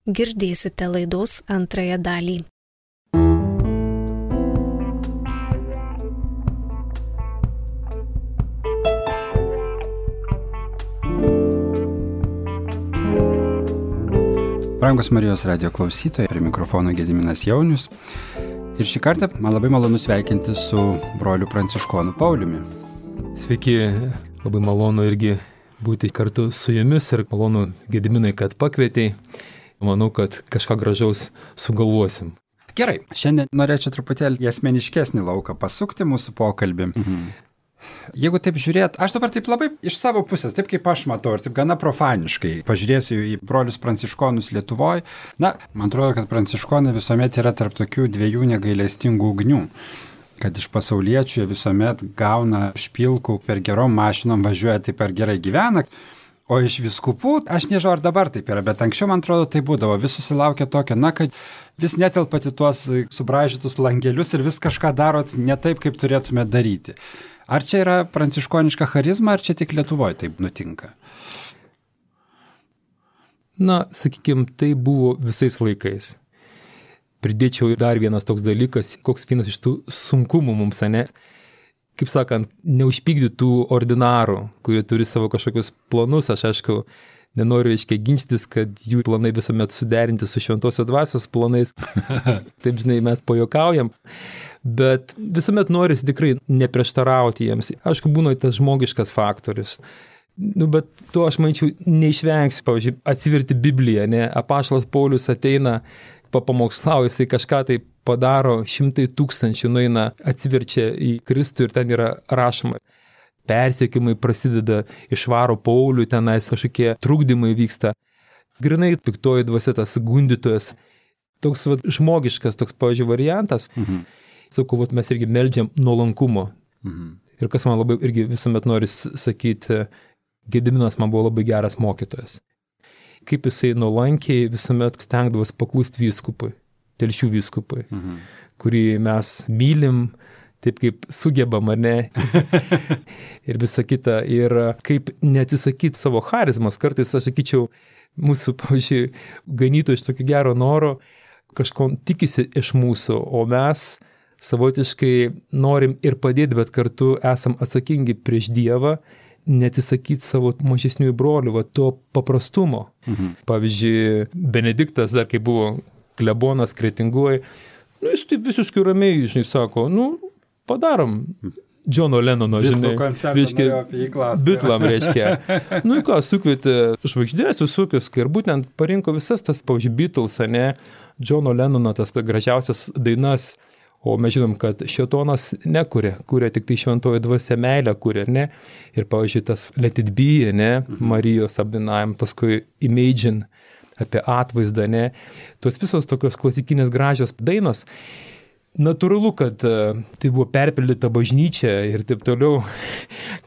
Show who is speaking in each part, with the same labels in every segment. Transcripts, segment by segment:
Speaker 1: girdėsite laidos antrąją dalį.
Speaker 2: Brangus Marijos radijo klausytojai, prie mikrofono Gediminas Jaunius. Ir šį kartą man labai malonu sveikinti su broliu Pranciškonu Pauliumi.
Speaker 3: Sveiki, labai malonu irgi būti kartu su jumis ir malonu, Gediminai, kad pakvietei. Manau, kad kažką gražaus sugalvosim.
Speaker 2: Gerai, šiandien norėčiau truputėlį į asmeniškesnį lauką pasukti mūsų pokalbį. Jeigu taip žiūrėt, aš dabar taip labai iš savo pusės, taip kaip aš matau ir taip gana profaniškai pažiūrėsiu į brolius pranciškonus Lietuvoje. Na, man atrodo, kad pranciškonai visuomet yra tarp tokių dviejų negailestingų ugnių. Kad iš pasauliečių jie visuomet gauna špilkų, per gerom mašinom važiuoja, taip per gerai gyvena. O iš vyskupų, aš nežinau, ar dabar taip yra, bet anksčiau, man atrodo, tai būdavo. Vis susilaukia tokio, kad vis netelpat į tuos subraižytus langelius ir vis kažką darot ne taip, kaip turėtume daryti. Ar čia yra pranciškoniška charizma, ar čia tik Lietuvoje taip nutinka?
Speaker 3: Na, sakykime, tai buvo visais laikais. Pridėčiau dar vienas toks dalykas, koks vienas iš tų sunkumų mums, ne? Kaip sakant, neužpykdytų ordinarų, kurie turi savo kažkokius planus. Aš aišku, nenoriu ginčytis, kad jų planai visuomet suderinti su šventosios dvasios planais. Taip, žinai, mes pajuokaujam. Bet visuomet norisi tikrai neprieštarauti jiems. Aišku, būna tas žmogiškas faktorius. Bet to aš manyčiau neišvengsiu. Pavyzdžiui, atsiverti Bibliją, ne? Apaštalas Paulius ateina, papamokslauja, jisai kažką tai padaro, 100 000 nueina, atsiverčia į Kristų ir ten yra rašoma. Persekiojimai prasideda, išvaro Paulių, tenais kažkokie trukdymai vyksta. Grinai piktoji dvasia, tas gundytojas. Toks žmogiškas, toks, pavyzdžiui, variantas. Sakau, mes irgi meldžiam nuolankumo. Ir kas man labai irgi visuomet nori sakyti, Gediminas man buvo labai geras mokytojas. Kaip jisai nuolankiai visuomet stengdavosi paklusti vyskupui, Telšių vyskupui, kurį mes mylim, taip kaip sugebam, ar ne? Ir visa kita. Ir kaip neatsisakyti savo charizmas. Kartais, aš sakyčiau, mūsų, pavyzdžiui, ganytų iš tokio gero noro, kažko tikisi iš mūsų, o mes savotiškai norim ir padėti, bet kartu esam atsakingi prieš Dievą, neatsisakyti savo mažesniųjų brolių, to paprastumo. Pavyzdžiui, Benediktas, dar kai buvo klebonas Kretingoj, jis taip visiškai ramiai, žinai, sako, padarom Džono Lenono, žinai, Bitlam, reiškia. Ką, sukvietė žvaigždės visokius, ir būtent parinko visas tas, pavyzdžiui, Beatles, ne, Džono Lenono, tas gražiausias dainas. O mes žinom, kad šėtonas kuria tik tai šventoji dvasia meilę kuria, ne? Ir, pavyzdžiui, tas Let It Be, ne? Marijos apdainavim, paskui Imagine apie atvaizdą, ne? Tos visos tokios klasikinės gražios dainos. Natūralu, kad tai buvo perpildyta bažnyčia ir taip toliau.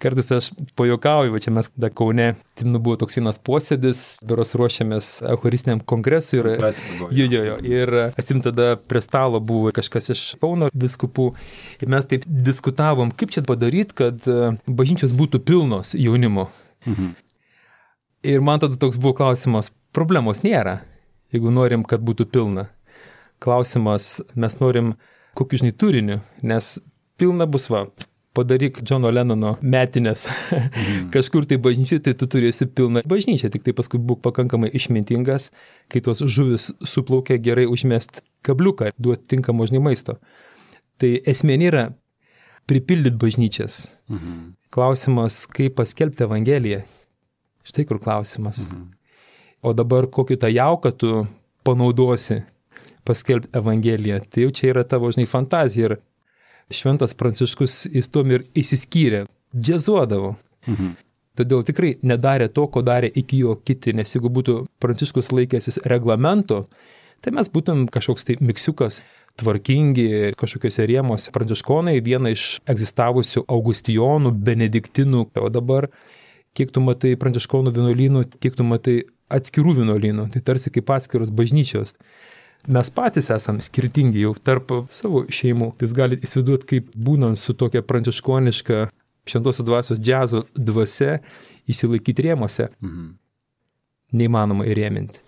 Speaker 3: Kartais aš pajuokauju, čia mes Kaune, buvo toks vienas posėdis, beros ruošiamės eucharistiniam kongresui. Ir tada prie stalo buvo kažkas iš Kauno vyskupų. Ir mes taip diskutavom, kaip čia padaryti, kad bažnyčios būtų pilnos jaunimo. Ir man tada toks buvo klausimas, problemos nėra, jeigu norim, kad būtų pilna. Klausimas, mes norim kokiu, žinai, turiniu, nes pilna bus, padaryk Džono Lenono metinės kažkur tai bažnyčiai, tai tu turėsi pilną bažnyčią, tik tai paskui būk pakankamai išmintingas, kai tos žuvis suplaukia, gerai užmest kabliuką, duoti tinkamo, žinai, maisto. Tai esmė nėra pripildyti bažnyčias. Klausimas, kaip paskelbti Evangeliją. Štai kur klausimas. O dabar kokį tą jauką tu panaudosi paskelbti Evangeliją. Tai jau čia yra tavo, žinai, fantazija. Ir šventas Pranciškus jis tom ir įsiskyrė, džiazuodavo. Todėl tikrai nedarė to, ko darė iki jo kiti, nes jeigu būtų Pranciškus laikęsis reglamento, tai mes būtum kažkoks tai miksiukas, tvarkingi, kažkokiuose rėmuose. Pranciškonai viena iš egzistavusių Augustijonų, Benediktinų, o dabar kiek tu matai pranciškonų vienuolynų, kiek tu matai atskirų vienuolynų, tai tarsi kaip atskiros bažnyčios. Mes patys esam skirtingi jau tarp savo šeimų. Tai jūs galite įsivaizduoti, kaip būnant su tokia pranciškoniška šventosios dvasios džiazo dvasia įsilaikyti rėmuose. Neįmanoma įrėminti.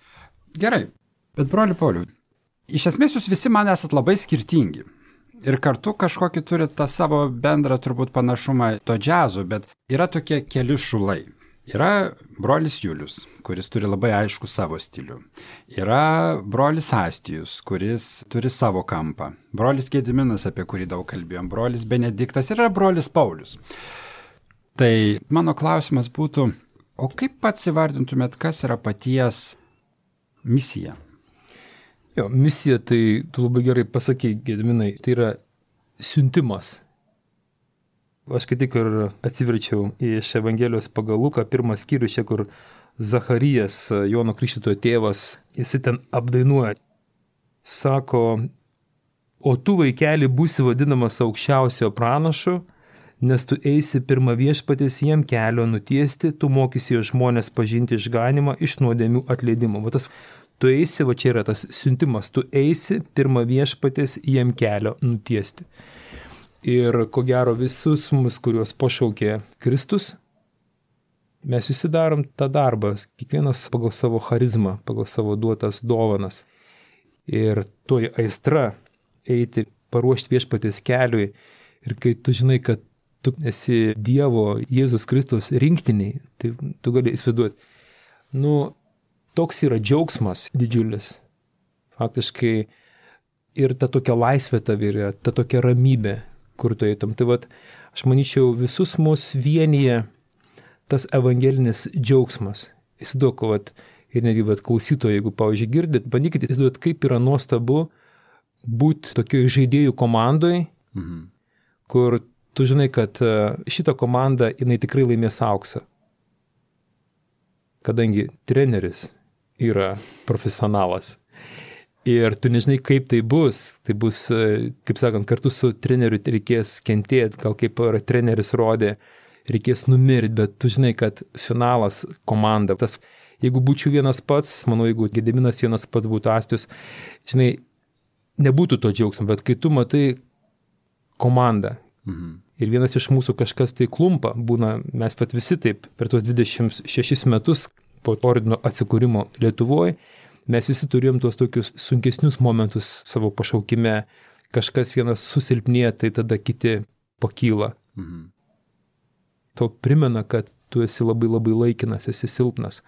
Speaker 2: Gerai. Bet broli Pauliau, iš esmės jūs visi man esat labai skirtingi. Ir kartu kažkokį turi tą savo bendrą turbūt panašumą to džiazo, bet yra tokie keli šulai. Yra brolis Julius, kuris turi labai aišku savo stilių. Yra brolis Astijus, kuris turi savo kampą. Brolis Gediminas, apie kurį daug kalbėjom. Brolis Benediktas ir yra brolis Paulius. Tai mano klausimas būtų, o kaip pats įvardintumėt, kas yra paties misija?
Speaker 3: Jo, misija, tai tu labai gerai pasakei, Gediminai, tai yra siuntimas. Aš kai tik ir atsiverčiau iš Evangelijos pagal Luką, pirmas skyrius, čia kur Zacharijas, Jono Krikštytojo tėvas, jis ten apdainuoja. Sako, o tu vaikeli būsi vadinamas aukščiausio pranašu, nes tu eisi pirmą viešpatės jiem kelio nutiesti, tu mokysi jo žmonės pažinti išganimą iš nuodėmių atleidimo. Va tas, tu eisi, va čia yra tas siuntimas, tu eisi pirmą viešpatės jiem kelio nutiesti. Ir ko gero visus mus, kuriuos pašaukė Kristus, mes visi darom tą darbą, kiekvienas pagal savo charizmą, pagal savo duotas dovanas. Ir toji aistra eiti, paruošti viešpatės keliui. Ir kai tu žinai, kad tu esi Dievo, Jėzus Kristus rinktiniai, tai tu gali įsivaizduoti. Toks yra džiaugsmas didžiulis. Faktiškai ir ta tokia laisvė tavy, ta tokia ramybė, kur tu eitum. Tai vat, aš manyčiau, visus mus vienyje tas evangelinis džiaugsmas. Įsivaizduok, vat, ir netgi vat, klausytojai, jeigu, pavyzdžiui, girdit, bandykite įsivaizduoti, kaip yra nuostabu būti tokioje žaidėjų komandoje, kur tu žinai, kad šita komanda, jinai tikrai laimės auksą. Kadangi treneris yra profesionalas. Ir tu nežinai, kaip tai bus, kaip sakant, kartu su treneriu reikės kentėti, gal kaip treneris rodė, reikės numirti, bet tu žinai, kad finalas komanda. Tas, jeigu būčiau vienas pats, manau, jeigu Gediminas vienas pats būtų Astijus, žinai, nebūtų to džiaugsmo, bet kai tu matai komandą ir vienas iš mūsų kažkas tai klumpa, būna, mes pat visi taip per tos 26 metus po ordino atsikūrimo Lietuvoje, mes visi turėjom tuos tokius sunkesnius momentus savo pašaukime. Kažkas vienas susilpnėja, tai tada kiti pakyla. Tau primena, kad tu esi labai labai laikinas, esi silpnas.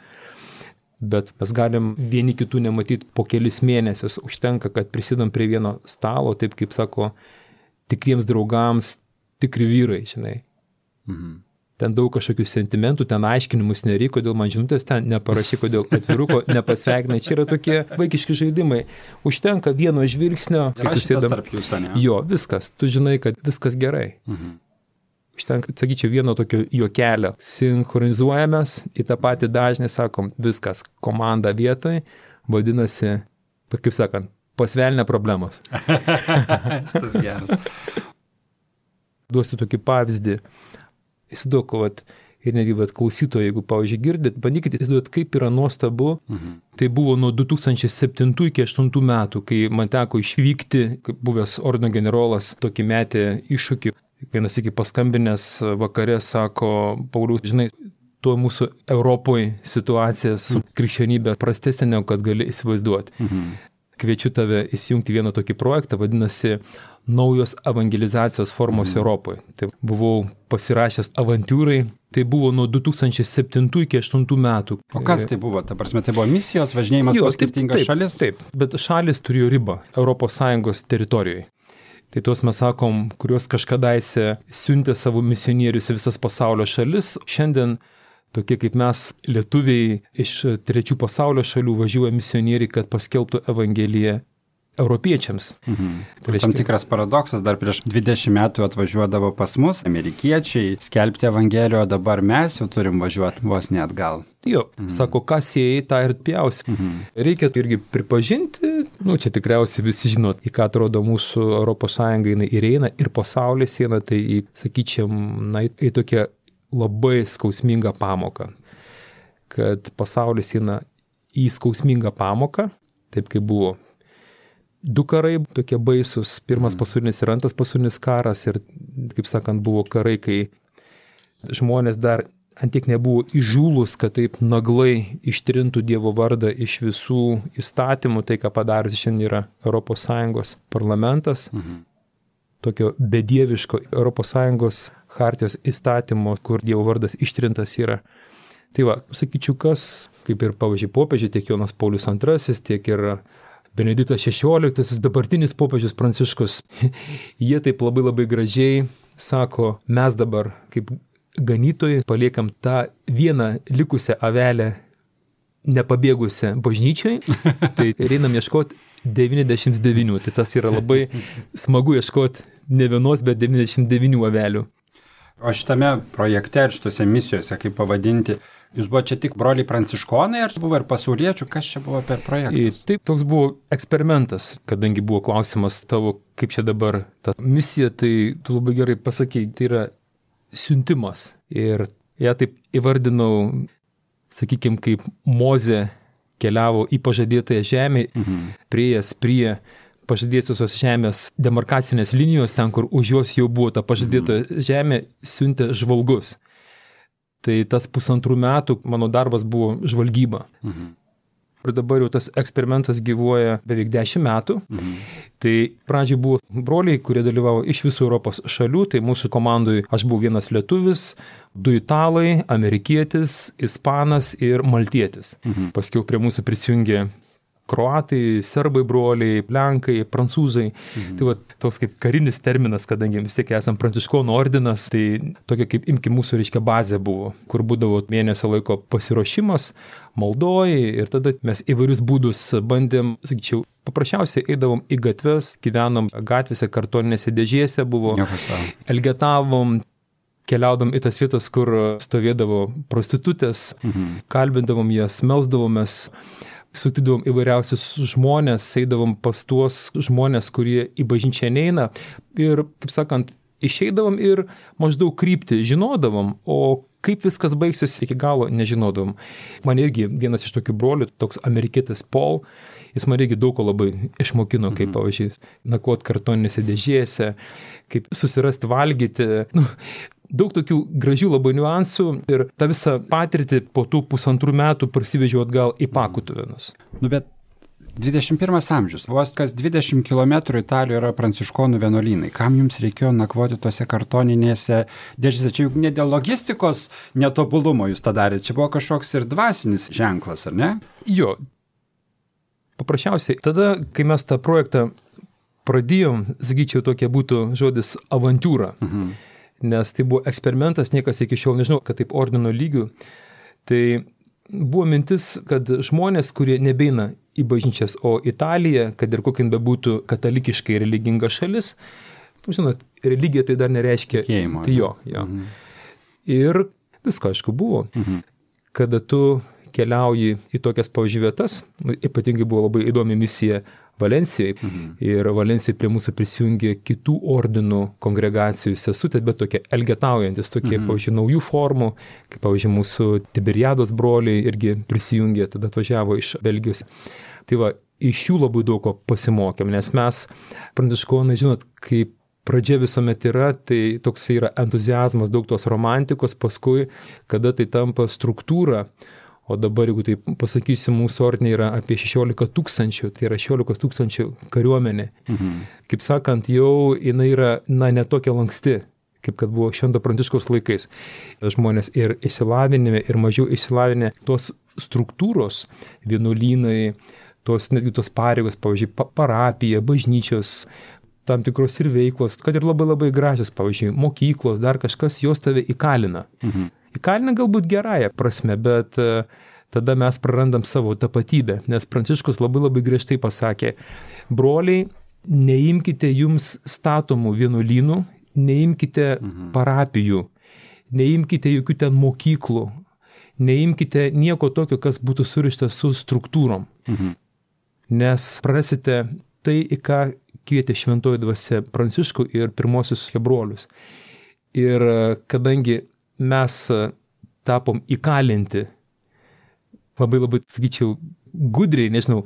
Speaker 3: Bet mes galim vieni kitų nematyti po kelis mėnesius. Užtenka, kad prisidam prie vieno stalo, taip kaip sako, tikriems draugams, tikri vyrai, žinai. Ten daug kažkokių sentimentų, ten aiškinimus nereikia, kodėl man žinutės ten neparašy, kodėl atviruko nepasveikinai. Čia yra tokie vaikiški žaidimai. Užtenka vieno žvilgsnio.
Speaker 2: Yra šitas tarp jūsų, ne?
Speaker 3: Jo, viskas. Tu žinai, kad viskas gerai. Užtenka, sakyčiau, vieno tokio juokelio. Sinchronizuojamės į tą patį dažnį, sakom, viskas, komanda vietoj, vadinasi, kaip sakant, pasvelnė problemos.
Speaker 2: Šitas geras.
Speaker 3: Duosiu tokį pavyzdį. Įsivaizduok, vat, ir netgi vat, klausytojai, jeigu, pavyzdžiui, girdit, bandykite įsivaizduoti, kaip yra nuostabu. Tai buvo nuo 2007 iki 2008 metų, kai man teko išvykti, kaip buvęs ordino generolas, tokį metė iššūkį. Vienas iki paskambinės vakarė sako, Pauliau, žinai, tuo mūsų Europoje situacija su krikščionybė prastesnė, negu kad gali įsivaizduoti. Kviečiu tave įsijungti vieną tokį projektą, vadinasi naujos evangelizacijos formos Europoje. Tai buvau pasirašęs avantūrai, tai buvo nuo 2007 iki 2008 metų.
Speaker 2: O kas tai buvo? Ta prasme, tai buvo misijos, važinėjimas po skirtingas šalis?
Speaker 3: Taip, bet šalis turėjo ribą ES teritorijoje. Tai tuos mes sakom, kuriuos kažkadaise siuntė savo misionierius į visas pasaulio šalis. Šiandien tokie kaip mes, lietuviai iš trečių pasaulio šalių važiuoja misionieriai, kad paskelbtų Evangeliją europiečiams. Tai reiškia,
Speaker 2: tam tikras paradoksas, dar prieš 20 metų atvažiuodavo pas mus amerikiečiai skelbti Evangeliją, o dabar mes jau turim važiuoti vos ne atgal.
Speaker 3: Jo, sako, kas jie tą ir pjausi. Reikia irgi pripažinti, čia tikriausiai visi žinot, į ką atrodo mūsų ES jinai ir eina, ir pasaulis eina, tai sakyčiam, į tokią labai skausmingą pamoką. Kad pasaulis eina į skausmingą pamoką, taip kaip buvo. 2 karai tokie baisus, pirmas pasaulinis ir antras pasaulinis karas ir, kaip sakant, buvo karai, kai žmonės dar antiek nebuvo įžūlus, kad taip naglai ištrintų Dievo vardą iš visų įstatymų, tai ką padarys šiandien yra ES parlamentas, tokio bedieviško ES chartijos įstatymo, kur Dievo vardas ištrintas yra. Tai va, sakyčiau, kas, kaip ir pavyzdžiui popiežiai, tiek Jonas Paulius II, tiek ir Benediktas XVI, dabartinis popiežius Pranciškus, jie taip labai gražiai sako, mes dabar kaip ganytojai paliekam tą vieną likusią avelę nepabėgusią bažnyčiai, tai einam ieškoti 99, tai tas yra labai smagu ieškoti ne vienos, bet 99 avelių.
Speaker 2: O šitame projekte ir šitose misijose, kaip pavadinti, jūs buvo čia tik broliai pranciškonai, ar buvo ir pasauliečių, kas čia buvo per projektas?
Speaker 3: Taip, toks buvo eksperimentas, kadangi buvo klausimas tavo, kaip čia dabar ta misija, tai tu labai gerai pasakei, tai yra siuntimas. Ir ją taip įvardinau, sakykime, kaip Mozė keliavo į pažadėtąją žemę, prieėjęs prie pažadėtosios žemės demarkacinės linijos, ten, kur už jos jau buvo ta pažadėtoja žemė, siuntė žvalgus. Tai tas 1,5 metų mano darbas buvo žvalgyba. Ir dabar jau tas eksperimentas gyvuoja beveik 10 metų. Tai pradžiai buvo broliai, kurie dalyvavo iš visų Europos šalių, tai mūsų komandai aš buvau vienas lietuvis, 2 italai, amerikietis, ispanas ir maltietis. Paskiau prie mūsų prisijungė kroatai, serbai broliai, lenkai, prancūzai. Tai va, toks kaip karinis terminas, kadangi vis tiek esam pranciškonų ordinas, tai tokia kaip imki mūsų reiškia bazė buvo, kur būdavo mėnesio laiko pasiruošimas, maldoji ir tada mes įvairius būdus bandėm, sakyčiau, paprasčiausiai eidavom į gatves, gyvenom gatvėse, kartoninėse dėžėse buvo, elgetavom, keliaudom į tas vietas, kur stovėdavo prostitutės, kalbindavom jas, melsdavomės, sutidavom įvairiausius žmonės, eidavom pas tuos žmonės, kurie į bažnyčią neina ir, kaip sakant, išeidavom ir maždaug kryptį žinodavom, o kaip viskas baigsis iki galo nežinodavom. Man irgi vienas iš tokių brolių, toks amerikietis Paul, jis man irgi daug ko labai išmokino, kaip, pavyzdžiui, nakvot kartoninėse dėžėse, kaip susirasti valgyti, daug tokių gražių labai niuansų ir tą visą patirtį po tų 1,5 metų parsivežiau atgal į Pakutuvėnus.
Speaker 2: Bet 21 amžius, vos kas 20 km Italijoje yra pranciškonų vienuolynai. Kam jums reikėjo nakvoti tose kartoninėse dėžėse? Čia juk ne dėl logistikos netobulumo jūs tą darėte, čia buvo kažkoks ir dvasinis ženklas, ar ne?
Speaker 3: Jo. Paprasčiausiai, tada, kai mes tą projektą pradėjom, sakyčiau, tokia būtų žodis avantūra. Nes tai buvo eksperimentas, niekas iki šiol nežinau, kad taip ordino lygių. Tai buvo mintis, kad žmonės, kurie nebeina į bažnyčias, o Italija, kad ir kokia bebūtų katalikiškai religinga šalis, žinot, religija tai dar nereiškia
Speaker 2: tikėjimo.
Speaker 3: Tai jo. Ir visko, aišku, buvo. Kada tu keliauji į tokias pavyzdžiui, ypatingai buvo labai įdomi misija Valensijoje. Ir Valensijoje prie mūsų prisijungė kitų ordinų kongregacijų sesutės, bet tokie elgetaujantis, tokie, pavyzdžiui, naujų formų, kaip, pavyzdžiui, mūsų Tiberiados broliai irgi prisijungė, tada atvažiavo iš Belgijos. Tai va, iš jų labai daug ko pasimokėm, nes mes, pranciškonai, žinot, kaip pradžia visuomet yra, tai toks yra entuziazmas, daug tos romantikos, paskui, kada tai tampa struktūra. O dabar, jeigu tai pasakysiu, mūsų ordinė yra apie 16 000, tai yra 16 000 kariuomenė. Kaip sakant, jau jinai yra, netokia lanksti, kaip kad buvo Švento Pranciškaus laikais. Žmonės ir išsilavinime, ir mažiau išsilavinę, tos struktūros, vienuolynai, netgi tos pareigos, pavyzdžiui, parapija, bažnyčios, tam tikros ir veiklos, kad ir labai gražios, pavyzdžiui, mokyklos, dar kažkas, jos tave įkalina. Įkalina galbūt gerąją prasme, bet tada mes prarandam savo tapatybę, nes Pranciškus labai griežtai pasakė, broliai, neimkite jums statomų vienuolynų, neimkite parapijų, neimkite jokių ten mokyklų, neimkite nieko tokio, kas būtų surištas su struktūrom, nes prarasite tai, į ką kvietė šventoji dvasia Pranciškų ir pirmosius brolius. Ir kadangi mes tapom įkalinti labai, sakyčiau, gudriai, nežinau,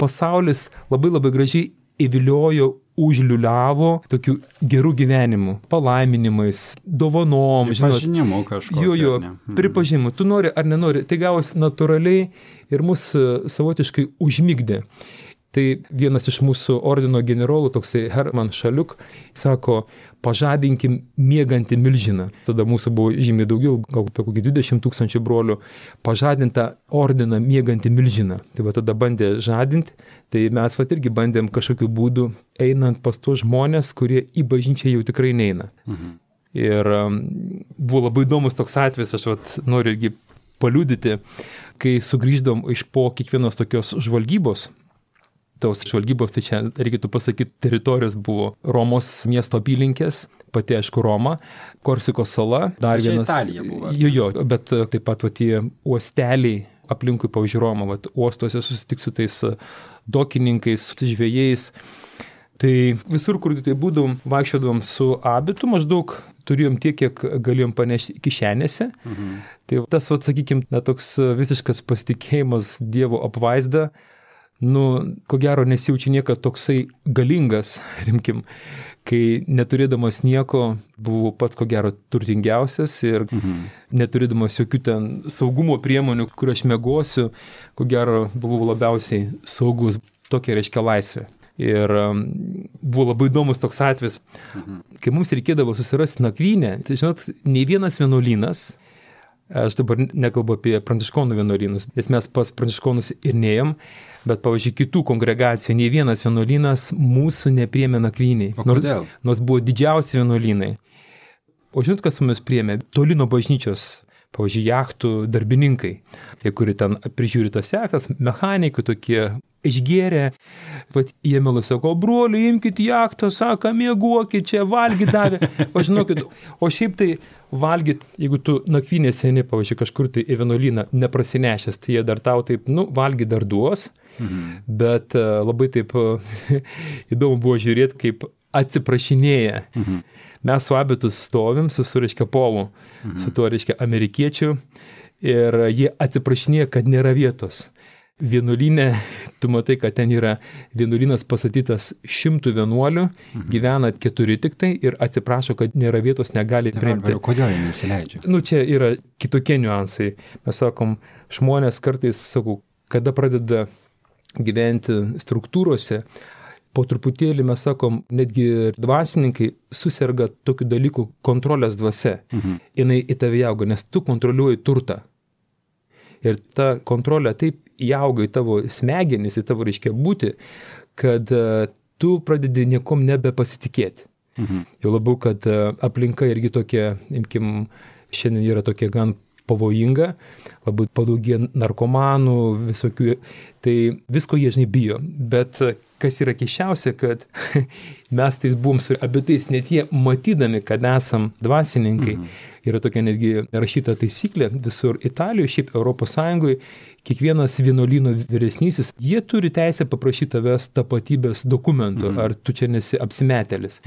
Speaker 3: pasaulis labai gražiai įviliojo užliuliavo tokiu gerų gyvenimu, palaiminimais, dovanom,
Speaker 2: pripažinimu kažkokiu.
Speaker 3: Jo, pripažinimu. Tu nori ar nenori, tai gavosi natūraliai ir mus savotiškai užmigdė. Tai vienas iš mūsų ordino generolų, toksai Herman Šaliuk, sako, pažadinkim miegantį milžiną. Tada mūsų buvo žymiai daugiau, gal apie kokį 20 000 brolių, pažadintą ordiną miegantį milžiną. Tai va tada bandė žadinti, tai mes va irgi bandėm kažkokiu būdu einant pas tuos žmonės, kurie į bažnyčią jau tikrai neina. Ir buvo labai įdomus toks atvejis, aš vat noriu irgi paliudyti, kai sugrįždom iš po kiekvienos tokios žvalgybos. Tos žvalgybos, tai čia reikėtų pasakyti, teritorijos buvo Romos miesto apylinkės, pati aišku Roma, Korsikos sala, dar vienas.
Speaker 2: Italija buvo.
Speaker 3: Jo, bet taip pat tie uosteliai aplinkui pavyzdžiui Romą, uostuose susitik su tais dokininkais, žvejais. Tai visur, kur tai būdom, vaikščiodavom su abitu, maždaug turėjom tiek, kiek galėjom panešti kišenėse. Tai tas, sakykim, toks visiškas pasitikėjimas Dievo apvaizda, ko gero nesijaučia niekad toksai galingas, rimkim, kai neturėdamas nieko buvau pats ko gero turtingiausias ir neturėdamas jokių ten saugumo priemonių, kur aš mėgosiu, ko gero buvau labiausiai saugus, tokia reiškia laisvė. Ir buvo labai įdomus toks atvejis, kai mums reikėdavo susirasti nakvynę, tai žinot, nei vienas vienuolynas, aš dabar nekalbu apie pranciškonų vienuolynus, nes mes pas pranciškonus ir neėjom, bet, pavyzdžiui, kitų kongregacijų, nei vienas vienuolynas mūsų nepriėmė nakvyniai.
Speaker 2: O kodėl?
Speaker 3: Nors buvo didžiausi vienuolynai. O žinot, kas mumis priėmė? Toli nuo bažnyčios, pavyzdžiui, jachtų darbininkai, tie, kurie ten prižiūri tas jachtas, mechanikai tokie išgėrė, pat jie melui sako, broliai, imkit jachtą, sako, mėguokit čia, valgyt davė. O žinokit, o šiaip tai valgyt, jeigu tu nakvynės eini, pavyzdžiui, kažkur tai į vienuolyną neprasinešęs, tai jie dar tau taip, valgyt dar duos, bet labai taip įdomu buvo žiūrėti, kaip atsiprašinėja. Mes su abitu stovim, su reiškia Polu, su tuo reiškia amerikiečiu, ir jie atsiprašinėja, kad nėra vietos. Vienuolyne, tu matai, kad ten yra vienuolynas pastatytas 100 vienuolių, gyvena 4 tik tai ir atsiprašo, kad nėra vietos, negali priimti.
Speaker 2: Kodėl jie nesileidžia?
Speaker 3: Čia yra kitokie niuansai. Mes sakom, žmonės kartais, sakau, kada pradeda gyventi struktūrose, po truputėlį mes sakom, netgi dvasininkai susirga tokių dalykų kontrolės dvasia. Jinai į tave auga, nes tu kontroliuoji turtą. Ir ta kontrolė taip įauga į tavo smegenis, į tavo reiškia būti, kad tu pradedi niekom nebepasitikėti. Jau labiau, kad aplinka irgi tokia, imkim, šiandien yra tokia gan pavojinga, labai padaugė narkomanų, visokių, tai visko jie žinai bijo. Bet kas yra keisčiausia, kad mes tai buvom su abitais, net jie matydami, kad esam dvasininkai, yra tokia netgi rašyta taisyklė visur Italijoje, šiaip Europos Sąjungoje, kiekvienas vienuolyno vyresnysis, jie turi teisę paprašyti tavęs tapatybės dokumentų, ar tu čia nesi apsimetėlis.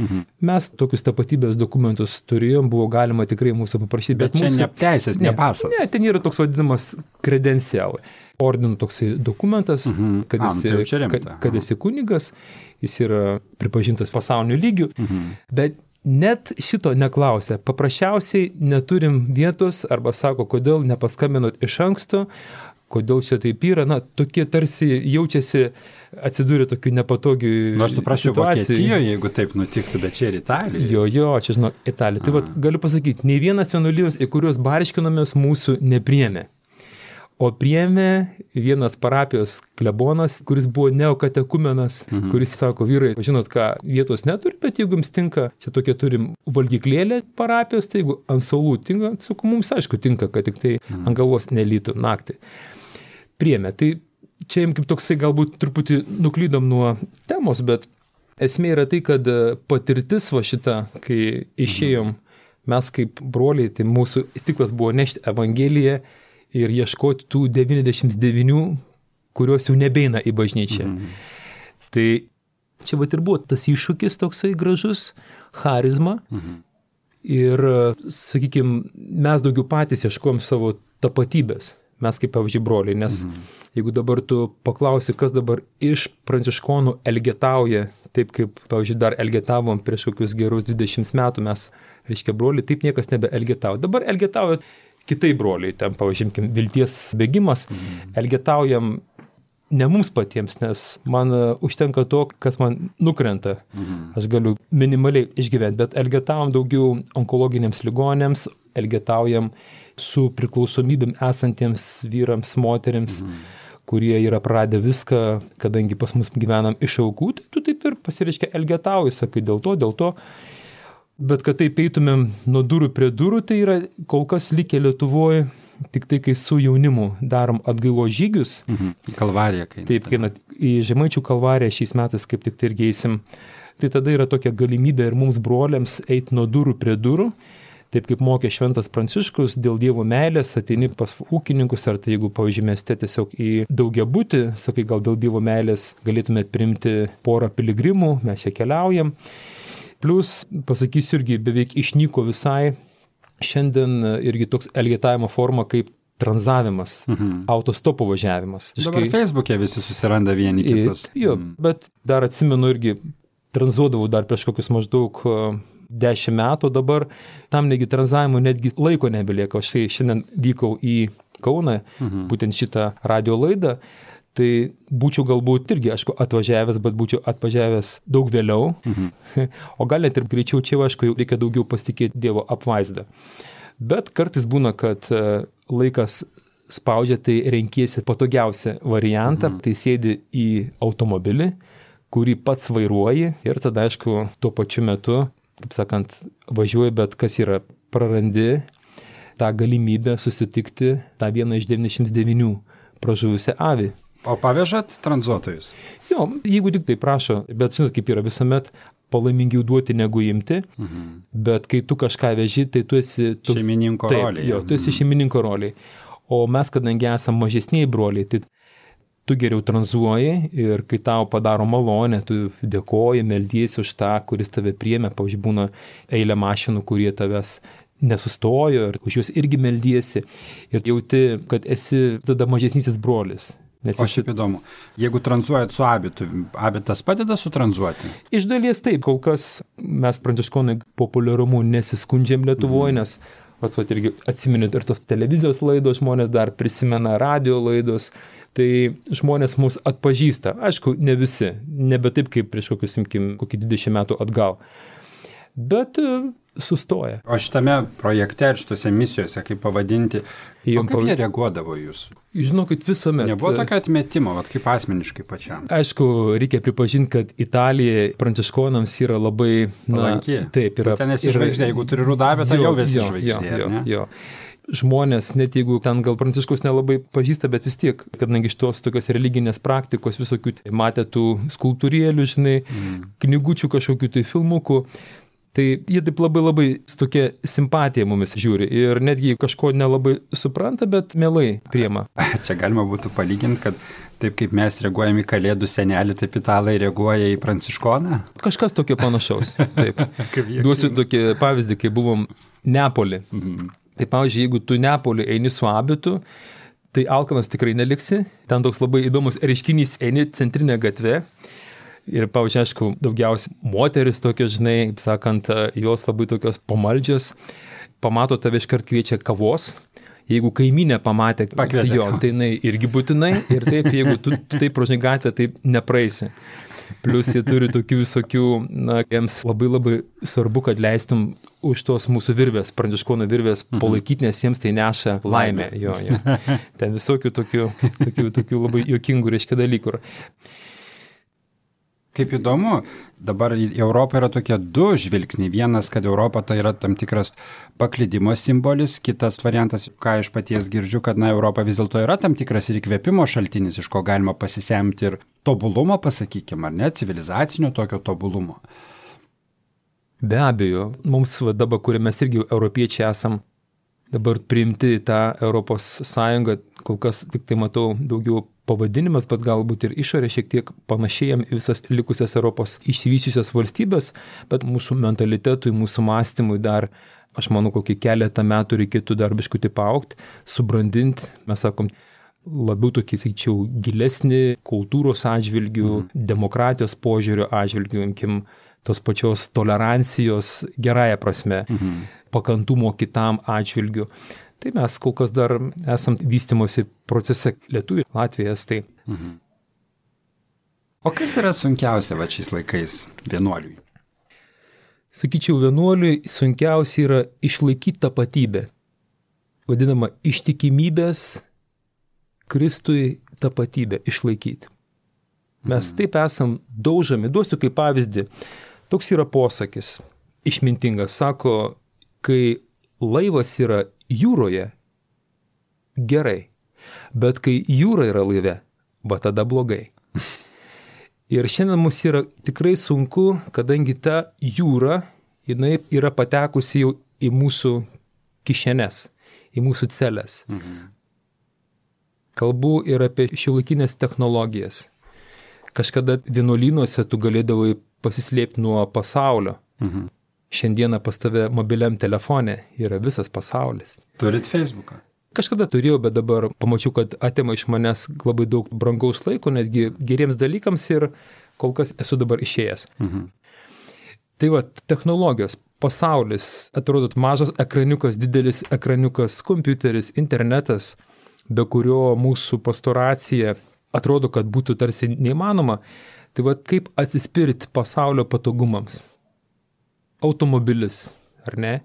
Speaker 3: Mes tokius tapatybės dokumentus turėjom, buvo galima tikrai mūsų paprašyti.
Speaker 2: Bet čia ne teisės, ne pasas.
Speaker 3: Ne, ten yra toks vadinamas kredencial. Ordinų toksai dokumentas, kad esi kunigas, jis yra pripažintas pasauliniu lygiu, bet net šito neklausia. Paprasčiausiai neturim vietos arba sako, kodėl nepaskambinot iš anksto, kodėl čia taip yra, tokie tarsi jaučiasi atsidūrė tokių nepatogių situacijų.
Speaker 2: Aš suprasčiau Vokietijoje, jeigu taip nutiktų, bet čia ir Italija.
Speaker 3: Jo, čia žinau, Italija. Tai galiu pasakyti, nei vienas vienuolynas, į kuriuos barškinomės, mūsų nepriėmė. O priėmė vienas parapijos klebonas, kuris buvo neokatekumenas, kuris sako, vyrai, žinot ką, vietos neturi, bet jeigu jums tinka, čia tokia turim valgyklėlę parapijos, tai jeigu ant saulų tinka, sakau, mums aišku tinka, kad tik tai ant galvos nelytų naktį. Priėmė. Tai čia kaip toksai galbūt truputį nuklydom nuo temos, bet esmė yra tai, kad patirtis va šita, kai išėjom, mes kaip broliai, tai mūsų tiklas buvo nešti Evangeliją ir ieškoti tų 99, kurios jau nebeina į bažnyčią. Tai čia vat ir buvo tas iššūkis toksai gražus, charizma. Ir, sakykime, mes daugiau patys ieškojom savo tapatybės. mes kaip pavyzdžiui broliai, nes jeigu dabar tu paklausi, kas dabar iš pranciškonų elgetauja, taip kaip, pavyzdžiui, dar elgetavom prieš kokius gerus 20 metų, mes, reiškia, broliai, taip niekas nebeelgetauja. Dabar elgetauja kitai broliai, ten, pavyzdžiui, vilties bėgimas, elgetaujam ne mums patiems, nes man užtenka to, kas man nukrenta. Aš galiu minimaliai išgyventi, bet elgetaujam daugiau onkologiniams ligonėms, elgetaujam su priklausomybėm esantiems vyrams, moteriams, kurie yra praradę viską, kadangi pas mus gyvenam iš aukų, tai tu taip ir pasireiškia elgetauji, sakai, dėl to. Bet kad taip eitumėm nuo durų prie durų, tai yra kol kas likę Lietuvoje, tik tai, kai su jaunimu darom atgailos žygius.
Speaker 2: Į Kalvariją.
Speaker 3: Taip, į Žemaičių Kalvariją šiais metais kaip tik tai irgi eisim. Tai tada yra tokia galimybė ir mums broliams eiti nuo durų prie durų. Taip kaip mokė Šventas Pranciškus, dėl Dievo meilės ateini pas ūkininkus, ar tai jeigu, pavyzdžiui, mieste tiesiog į daugiabutį, sakai, gal dėl Dievo meilės galėtumėt priimti porą piligrimų, mes čia keliaujam. Plus, pasakysiu, irgi beveik išnyko visai šiandien irgi toks elgetavimo forma kaip tranzavimas, autostopo važiavimas.
Speaker 2: Dabar Facebook'e visi susiranda vieni kitus.
Speaker 3: Jo, bet dar atsimenu irgi, tranzuodavau dar prieš kokius maždaug 10 metų dabar, tam negi tranzavimo netgi laiko nebelieka. Aš šiandien vykau į Kauną, būtent šitą radio laidą, tai būčiau galbūt irgi, aišku, atvažiavęs, bet būčiau atvažiavęs daug vėliau, o gal net ir greičiau čia, aišku, reikia daugiau pasitikėti Dievo apvaizdą. Bet kartais būna, kad laikas spaudžia, tai renkiesi patogiausią variantą, tai sėdi į automobilį, kurį pats vairuoji ir tada, aišku, tuo pačiu metu, kaip sakant, važiuoji, bet kas yra, prarandi tą galimybę susitikti tą vieną iš 99 pražuvusią avį.
Speaker 2: O pavežat tranzuotojus?
Speaker 3: Jo, jeigu tik tai prašo, bet žinot, kaip yra visuomet palaimingiau duoti negu imti, bet kai tu kažką veži, tai tu esi
Speaker 2: šeimininko roliai.
Speaker 3: Jo, tu esi šeimininko roliai. O mes, kadangi esame mažesniai broliai, tai tu geriau tranzuoji ir kai tau padaro malonę, tu dėkoji, meldiesi už tą, kuris tave priėmė, pavyzdžiui, būna eilė mašinų, kurie tavęs nesustojo ir už juos irgi meldiesi ir jauti, kad esi tada mažesnysis brolis.
Speaker 2: O šiaip įdomu, jeigu tranzuojat su abitu, abitas padeda sutranzuoti?
Speaker 3: Iš dalies taip, kol kas mes pranciškonai populiarumu nesiskundžiam Lietuvoje, nes irgi atsiminėt ir tos televizijos laidos, žmonės dar prisimena radio laidos, tai žmonės mus atpažįsta. Aišku, ne visi, nebe taip kaip prieš kokį 20 metų atgal, bet sustoja.
Speaker 2: O šitame projekte, šitose misijose, kaip pavadinti, kaip jie reaguodavo jūs?
Speaker 3: Žinokit, visuomet.
Speaker 2: Nebuvo tokio atmetimo, kaip asmeniškai pačiam?
Speaker 3: Aišku, reikia pripažinti, kad Italija pranciškonams yra labai
Speaker 2: palanki.
Speaker 3: Taip, yra.
Speaker 2: Ten esi žvaigždė, jeigu turi rudavę, tai jau esi žvaigždė.
Speaker 3: Jo. Žmonės, net jeigu ten gal pranciškus nelabai pažįsta, bet vis tiek, kadangi iš tos tokios religinės praktikos visokių matė tų skulptūrėlių, žinai, knygučių kažkokių tai filmukų, tai jie taip labai su tokia simpatija mumis žiūri ir netgi kažko nelabai supranta, bet mielai priema.
Speaker 2: Čia galima būtų palyginti, kad taip kaip mes reaguojame į kalėdų senelį, taip italai reaguoja į pranciškoną?
Speaker 3: Kažkas tokio panašaus. Taip. Duosiu tokį pavyzdį, kai buvom Neapolį. Tai pavyzdžiui, jeigu tu Neapolį eini su abitu, tai alkanas tikrai neliksi. Ten toks labai įdomus reiškinys, eini centrinę gatvę. Ir, pavyzdžiui, aišku, daugiausiai moteris tokios, žinai, kaip sakant, jos labai tokios pamaldžios, pamato tave iškart kviečia kavos. Jeigu kaimynė pamatė, jo, tai jinai irgi būtinai. Ir taip, jeigu tu taip prožinai gatvę, taip nepraeisi. Plus jie turi tokių visokių, jiems labai svarbu, kad leistum už tos mūsų virvės, pranciškonų virvės palaikyti, nes jiems tai neša laimę. Jo. Ten visokių tokių labai juokingų reiškia dalykų.
Speaker 2: Kaip įdomu, dabar Europa yra tokie du žvilgsniai. Vienas, kad Europa tai yra tam tikras paklydimo simbolis, kitas variantas, ką iš paties girdžiu, kad Europa vis dėlto yra tam tikras ir įkvėpimo šaltinis, iš ko galima pasisemti ir tobulumo, pasakykime, ar ne, civilizacinio tokio tobulumo.
Speaker 3: Be abejo, mums dabar, kurie mes irgi europiečiai esam, dabar priimti tą Europos Sąjungą, kol kas tik tai matau daugiau pavadinimas, bet galbūt ir išorė šiek tiek panašėjam į visas likusias Europos išsivysiusias valstybės, bet mūsų mentalitetui, mūsų mąstymui dar, aš manau, kokį keletą metų reikėtų dar biškutį paaugti, subrandinti, mes sakom, labiau tokį, sakyčiau, gilesnį kultūros atžvilgių, demokratijos požiūrio atžvilgių, imkim tos pačios tolerancijos gerąją prasme, pakantumo kitam atžvilgių. Tai mes kol kas dar esam vystymosi procese Lietuviai, Latvijai, Estai.
Speaker 2: O kas yra sunkiausia šiais laikais vienuoliui?
Speaker 3: Sakyčiau, vienuoliui sunkiausia yra išlaikyti tapatybę. Vadinama ištikimybės Kristui tapatybę išlaikyti. Mes taip esam daužami. Duosiu kaip pavyzdį. Toks yra posakis, išmintingas. Sako, kai laivas yra jūroje, gerai, bet kai jūra yra laive, va tada blogai. Ir šiandien mums yra tikrai sunku, kadangi ta jūra, jinai yra patekusi jau į mūsų kišenes, į mūsų celes. Kalbu ir apie šiuolaikinės technologijas. Kažkada vienuolynuose tu galėdavai pasislėpti nuo pasaulio. Šiandieną pas tave mobiliam telefone yra visas pasaulis.
Speaker 2: Turit Facebooką?
Speaker 3: Kažkada turėjau, bet dabar pamačiau, kad atima iš manęs labai daug brangaus laiko, netgi geriems dalykams ir kol kas esu dabar išėjęs. Tai va, technologijos, pasaulis, atrodo mažas ekraniukas, didelis ekraniukas, kompiuteris, internetas, be kurio mūsų pastoracija atrodo, kad būtų tarsi neįmanoma. Tai va, kaip atsispirti pasaulio patogumams? Automobilis, ar ne?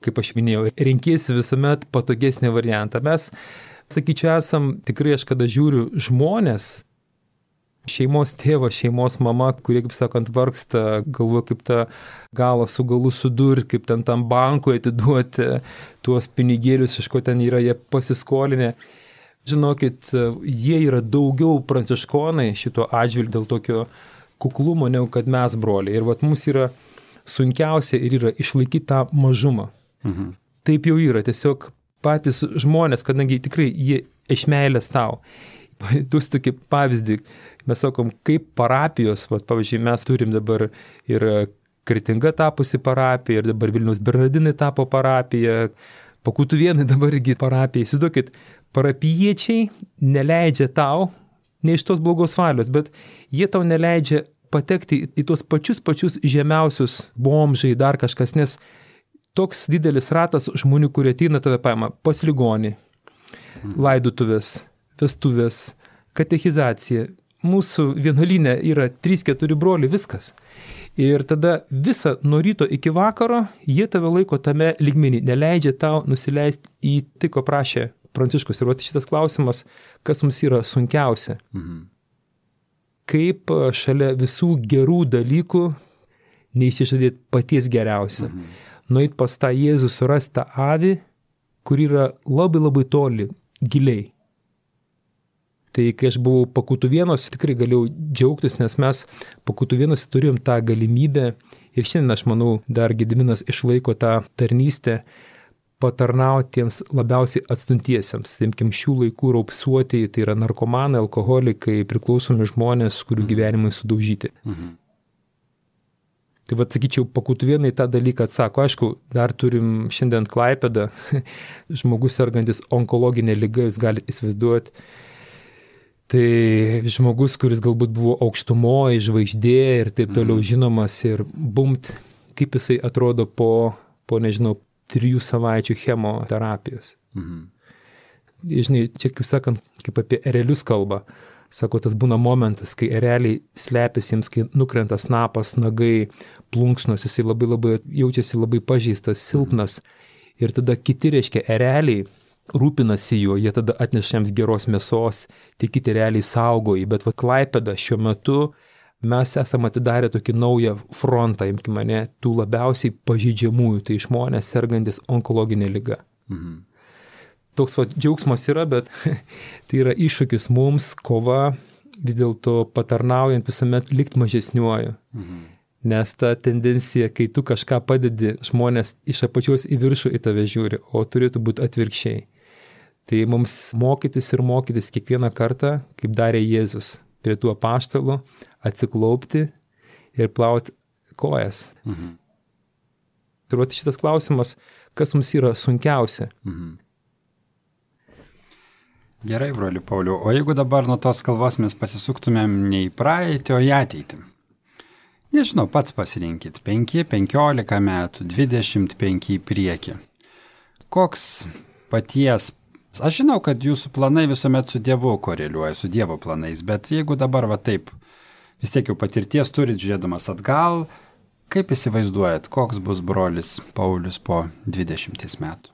Speaker 3: Kaip aš minėjau, renkiesi visuomet patogesnį variantą. Mes, sakyčiau, esam tikrai, aš kada žiūriu žmonės, šeimos tėvas, šeimos mama, kurie, kaip sakant, vargsta, galvoja, kaip tą galą su galu sudurti, kaip ten tam bankui atiduoti tuos pinigėlius, iš ko ten yra jie pasiskolinę. Žinokit, jie yra daugiau pranciškonai šito atžvilgiu dėl tokio kuklumo, negu kad mes, broliai. Ir vat mums yra sunkiausia ir yra išlaikyti tą mažumą. Taip jau yra, tiesiog patys žmonės, kadangi tikrai jie iš meilės tau. Duosiu tokį pavyzdį, mes sakom, kaip parapijos, pavyzdžiui, mes turim dabar ir Kretinga tapusi parapija, ir dabar Vilniaus Bernardinai tapo parapija, Pakutuvėnai dabar irgi parapija. Įsivaizduokit, parapijiečiai neleidžia tau, ne iš tos blogos valios, bet jie tau neleidžia patekti į tuos pačius žemiausius bomžai, dar kažkas, nes toks didelis ratas žmonių, kurie ateina tave paima pas ligonį, laidotuvės, vestuvės, katechizacija. Mūsų vienuolyne yra 3-4 broliai, viskas. Ir tada visą nuo ryto iki vakaro jie tave laiko tame lygmenį, neleidžia tau nusileisti į tai, ko prašė Pranciškus. Ir šitas klausimas, kas mums yra sunkiausia. Kaip šalia visų gerų dalykų neįsižadėti paties geriausia. Nueit pas tą Jėzų, surasti tą avį, kur yra labai labai toli, giliai. Tai kai aš buvau Pakutuvėnuose, tikrai galėjau džiaugtis, nes mes Pakutuvėnuose turėjom tą galimybę ir šiandien, aš manau, dar Gediminas išlaiko tą tarnystę patarnauti tiems labiausiai atstumtiesiems. Imkim šių laikų raupsuotieji, tai yra narkomanai, alkoholikai, priklausomi žmonės, kurių gyvenimai sudaužyti. Tai vad, sakyčiau, Pakutuvėnai tą dalyką atsako. Aišku, dar turim šiandien Klaipėdą, žmogus sergantis onkologinė liga, jūs galite įsivaizduoti. Tai žmogus, kuris galbūt buvo aukštumoje, žvaigždė ir taip toliau žinomas ir bumt, kaip jisai atrodo po nežinau, 3 savaičių chemoterapijos. Žinai, čia kaip sakant, kaip apie erelius kalba. Sako, tas būna momentas, kai ereliai slepiasi jiems, kai nukrenta snapas, nagai, plunksnos, jisai labai jaučiasi labai pažeistas, silpnas. Ir tada kiti, reiškia, ereliai rūpinasi juo, jie tada atneša jiems geros mėsos, tie kiti ereliai saugoji. Bet va, Klaipėda šiuo metu mes esame atidarę tokį naują frontą, imkime mane, tų labiausiai pažeidžiamųjų, tai žmonės sergantis onkologinė liga. Toks va, džiaugsmas yra, bet tai yra iššūkis mums, kova vis dėlto patarnaujant visuomet likti mažesniuoju. Nes ta tendencija, kai tu kažką padedi, žmonės iš apačios į viršų į tave žiūri, o turėtų būti atvirkščiai. Tai mums mokytis ir mokytis kiekvieną kartą, kaip darė Jėzus, prie tų apaštalų, atsiklaupti ir plauti kojas. Ir vat šitas klausimas, kas mums yra sunkiausia.
Speaker 2: Gerai, broli Pauliau, o jeigu dabar nuo tos kalbos mes pasisuktumėm ne į praeitį, o į ateitį? Nežinau, pats pasirinkit, 5, 15 metų, 25 į priekį. Koks paties... Aš žinau, kad jūsų planai visuomet su Dievu koreliuoja, su Dievo planais, bet jeigu dabar va taip, vis tiek jau patirties turit žiūrėdamas atgal, kaip įsivaizduojat, koks bus brolis Paulius po 20 metų?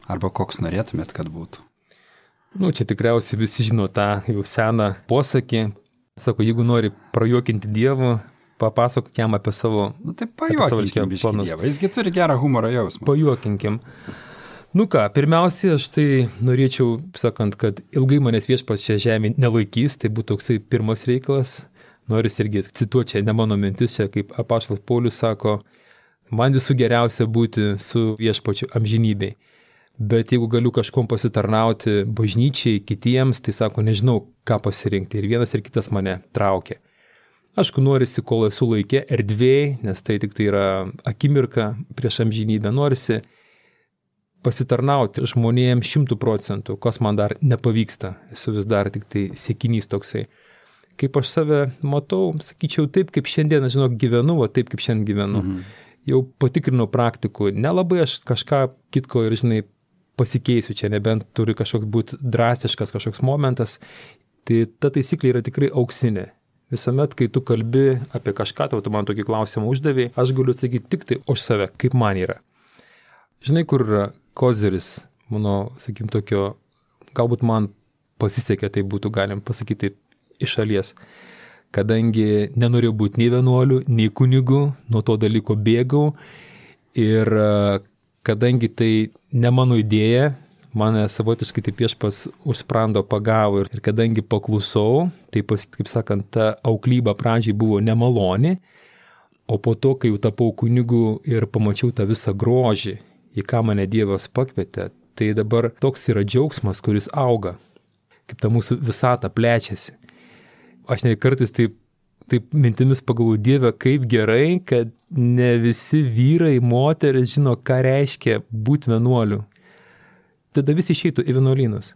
Speaker 2: Arba koks norėtumėt, kad būtų?
Speaker 3: Čia tikriausiai visi žino tą jau seną posakį. Sako, jeigu nori prajuokinti Dievą, papasakok jam apie savo...
Speaker 2: Tai pajuokinkim biškį Dievą, jisgi turi gerą humoro jausmą.
Speaker 3: Pajuokinkim. Pirmiausia, aš tai norėčiau, sakant, kad ilgai manęs viešpats čia žemė nelaikys, tai būtų toksai pirmas reikalas. Noris irgi cituoti čia, ne mano mintis, čia kaip apaštalas Paulius sako, man visų geriausia būti su viešpačiu amžinybei. Bet jeigu galiu kažkom pasitarnauti bažnyčiai, kitiems, tai sako, nežinau, ką pasirinkti. Ir vienas ir kitas mane traukia. Aišku, norisi, kol esu laikė, erdvėj, nes tai tik tai yra akimirka prieš amžinybę. Norisi pasitarnauti žmonėms 100%, kas man dar nepavyksta. Esu vis dar tik tai siekinys toksai. Kaip aš save matau, sakyčiau, taip kaip šiandien, žinok, gyvenu, o taip kaip šiandien gyvenu. Jau patikrinau praktikų, nelabai aš kažką kitko ir, žinai, pasikeisiu čia, nebent turi kažkoks būti drastiškas kažkoks momentas. Tai ta taisyklė yra tikrai auksinė. Visuomet, kai tu kalbi apie kažką, tu man tokį klausimą uždavėjai, aš galiu atsakyti tik tai už save, kaip man yra. Žinai, kur yra kozeris, mano, sakykim, tokio, galbūt man pasisekė, tai būtų galim pasakyti iš šalies. Kadangi nenorėjau būti nei vienuoliu, nei kunigu, nuo to dalyko bėgau ir kadangi tai ne mano idėja, mane savotiškai taip viešpas už sprando pagavo ir kadangi paklusau, tai kaip sakant, ta auklyba pradžiai buvo nemaloni, o po to, kai jau tapau kunigu ir pamačiau tą visą grožį, į ką mane Dievas pakvietė, tai dabar toks yra džiaugsmas, kuris auga, kaip ta mūsų visata plečiasi. Aš ne kartais taip mintimis pagalvoju, Dieve, kaip gerai, kad ne visi vyrai, moteris žino, ką reiškia būti vienuoliu. Tada visi išeitų į vienuolynus.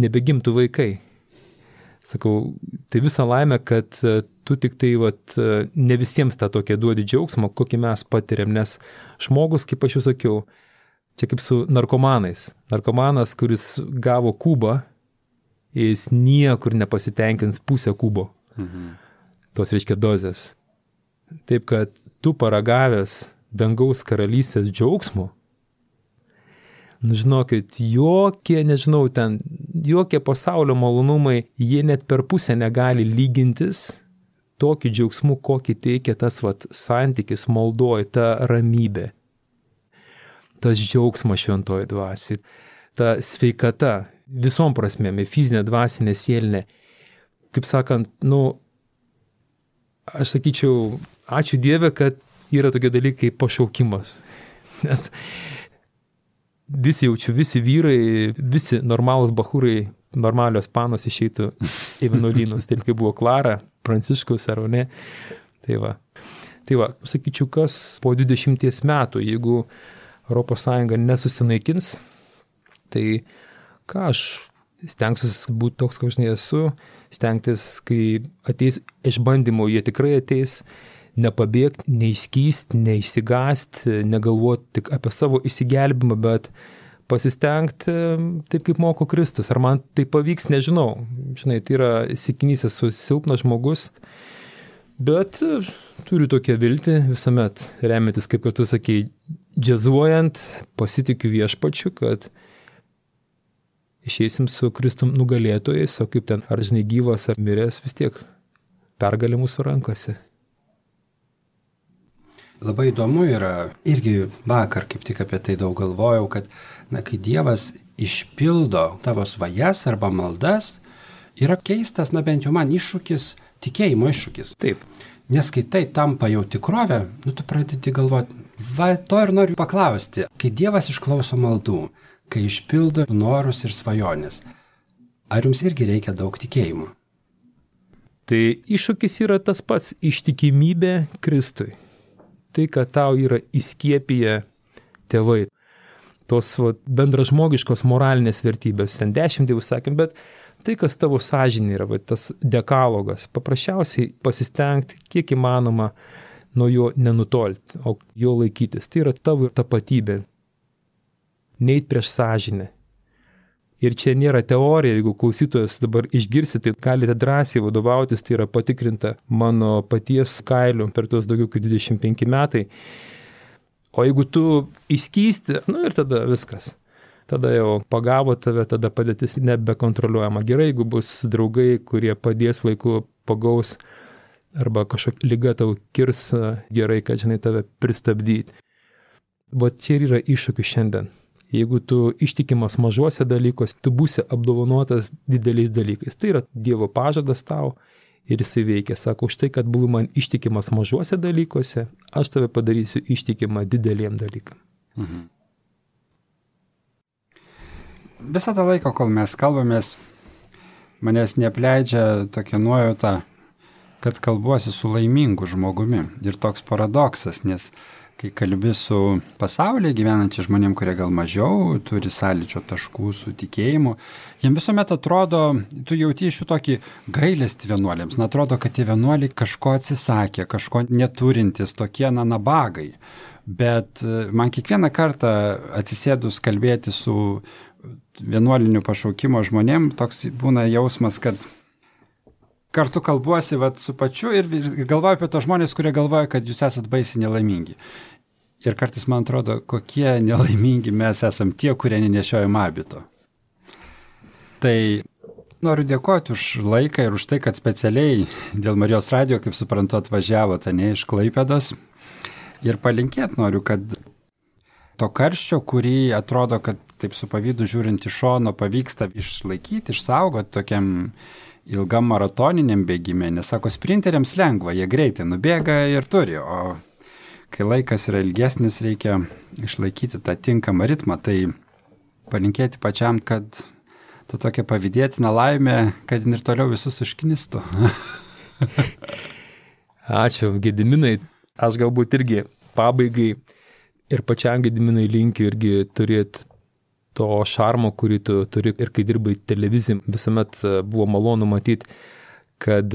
Speaker 3: Nebegimtų vaikai. Sakau, tai visa laimė, kad tu tik tai ne visiems tą tokią duodi džiaugsmą, kokį mes patiriam, nes žmogus, kaip aš jau sakiau, čia kaip su narkomanais. Narkomanas, kuris gavo kubą, jis niekur nepasitenkins pusę kubo. Tos reiškia dozės. Taip, kad tu paragavęs dangaus karalystės džiaugsmo, žinokit, jokie pasaulio malonumai, jie net per pusę negali lygintis tokiu džiaugsmu, kokį teikia tas santykis maldoj, ta ramybė, tas džiaugsmas šventoji dvasiai, ta sveikata, visom prasmėm, fizinė, dvasinė, sielinė. Kaip sakant, aš sakyčiau, ačiū Dieve, kad yra tokie dalykai kaip pašaukimas. Nes visi vyrai, visi normalūs bachūrai, normalios panos išeitų į vienuolynus, taip kaip buvo Klara, Pranciškus ar ne. Tai va, sakyčiau, kas po 20 metų, jeigu ES nesusinaikins, tai ką aš stengsiuosi būti toks, kaip aš nesu, stengtis, kai ateis išbandymo, jie tikrai ateis, nepabėgti, neišskysti, neišsigąsti, negalvoti tik apie savo išsigelbimą, bet pasistengti taip, kaip moko Kristus. Ar man tai pavyks, nežinau. Žinai, tai yra siekinys, esu silpnas žmogus, bet turiu tokią viltį visuomet remiantis, kaip tu sakei, džiazuojant, pasitikiu viešpačiu, kad išeisim su Kristum nugalėtojais, o kaip ten, ar žinai, gyvas ar miręs, vis tiek pergalė mūsų rankose.
Speaker 2: Labai įdomu yra, irgi vakar kaip tik apie tai daug galvojau, kad kai Dievas išpildo tavo svajas arba maldas, yra keistas, bent jau man iššūkis, tikėjimo iššūkis.
Speaker 3: Taip.
Speaker 2: Nes kai tai tampa jau tikrovė, tu pradedi galvoti, to ir noriu paklausti, kai Dievas išklauso maldų, kai išpildo norus ir svajonės. Ar jums irgi reikia daug tikėjimo?
Speaker 3: Tai iššūkis yra tas pats - ištikimybė Kristui. Tai, kad tau yra įskiepiję tėvai. Tos bendražmogiškos moralinės vertybės. Ten 10 dievų sakėm, bet tai, kas tavo sąžinė yra, tas dekalogas, paprasčiausiai pasistengti, kiek įmanoma nuo jo nenutolti, o jo laikytis. Tai yra tavo tapatybė. Neit prieš sąžinę. Ir čia nėra teorija, jeigu klausytojas dabar išgirsite, tai galite drąsiai vadovautis, tai yra patikrinta mano paties kailiu per tuos daugiau kaip 25 metai. O jeigu tu įskysti, ir tada viskas. Tada jau pagavo tave, tada padėtis nebekontroliuojama. Gerai, jeigu bus draugai, kurie padės laiku, pagaus, arba kažkokia liga tau kirs, gerai, kad žinai tave pristabdyti. Bet čia ir yra iššūkių šiandien. Jeigu tu ištikimas mažuose dalykuose, tu būsi apdovanotas dideliais dalykais. Tai yra Dievo pažadas tau ir jisai veikia. Sako, už tai, kad buvai man ištikimas mažuose dalykuose, aš tave padarysiu ištikimą dideliem dalykam.
Speaker 2: Mhm. Visą tą laiką, kol mes kalbamės, manęs neapleidžia tokia nuojauta, kad kalbuosi su laimingu žmogumi. Ir toks paradoksas, nes kai kalbi su pasaulyje gyvenančiais žmonėm, kurie gal mažiau turi sąlyčio taškų su tikėjimu, jiems visuomet atrodo, tu jauti iš jų tokį gailestį vienuolėms. Atrodo, kad tie vienuoliai kažko atsisakė, kažko neturintis, tokie nabagai. Bet man kiekvieną kartą atsisėdus kalbėti su vienuolinių pašaukimo žmonėm, toks būna jausmas, kad kartu kalbuosi su pačiu ir galvoju apie tos žmonės, kurie galvoja, kad jūs esat baisiai nelaimingi. Ir kartais man atrodo, kokie nelaimingi mes esam tie, kurie nenešiojam abito. Tai noriu dėkoti už laiką ir už tai, kad specialiai dėl Marijos radijo, kaip suprantu, atvažiavote ne iš Klaipėdos. Ir palinkėti noriu, kad to karščio, kurį atrodo, kad taip su pavydu žiūrint iš šono pavyksta išlaikyti, išsaugoti tokiam ilgam maratoniniam bėgime, nes sako, sprinteriams lengva, jie greitai nubėga ir turi, o kai laikas yra ilgesnis, reikia išlaikyti tą tinkamą ritmą, tai palinkėti pačiam, kad ta tokia pavydėtina laimė, kad ir toliau visus užknistų.
Speaker 3: Ačiū, Gediminai. Aš galbūt irgi pabaigai ir pačiam Gediminai linkiu irgi turėti to šarmo, kurį tu turi ir kai dirbai televizijai, visuomet buvo malonu matyti, kad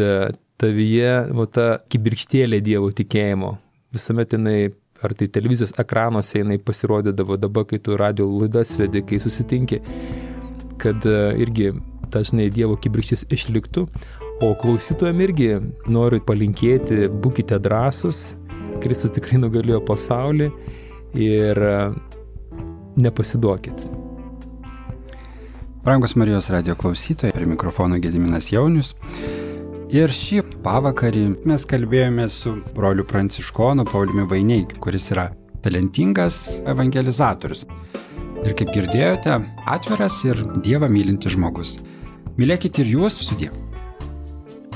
Speaker 3: tavyje ta kibirkštėlė Dievo tikėjimo, visuomet jinai, ar tai televizijos ekranuose jinai pasirodydavo dabar, kai tu radio laidas vedi, kai susitinki, kad irgi dažnai Dievo kibirkštis išliktų, o klausytojam irgi noriu palinkėti, būkite drąsus, Kristus tikrai nugalėjo pasaulį ir nepasiduokit.
Speaker 2: Brangus Marijos radijo klausytojai, prie mikrofono Gediminas Jaunius. Ir šį pavakarį mes kalbėjome su broliu pranciškonu Pauliumi Vaineikiu, kuris yra talentingas evangelizatorius. Ir kaip girdėjote, atviras ir Dievą mylintis žmogus. Mylėkit ir jūs, sudie.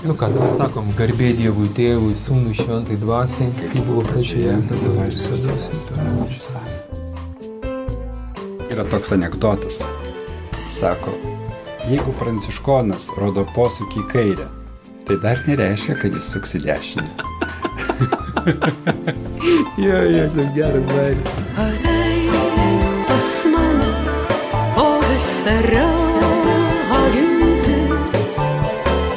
Speaker 3: Ką tada sakom, garbė Dievui Tėvui, Sūnui, Šventai Dvasiai, kaip buvo pradžioje, dabar ir visada.
Speaker 2: Yra toks anekdotas. Sako, jeigu pranciškonas rodo posūkį į kairę, tai dar nereiškia, kad jis suks į dešinę.
Speaker 3: Jo, tas geras bairis.
Speaker 4: Ateik pas mane, o visa ragintis,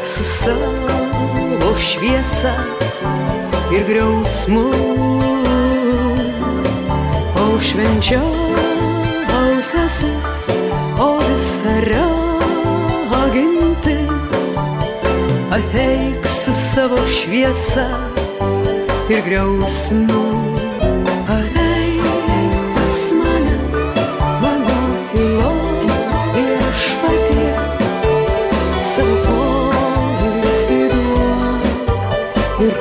Speaker 4: su savo šviesa ir griausmu, o švenčiausiasis, o visa ragintis, ateik su savo šviesa ir griausmu. Ateik pas mane, mano tylos viešpatie, savo poilsį duok ir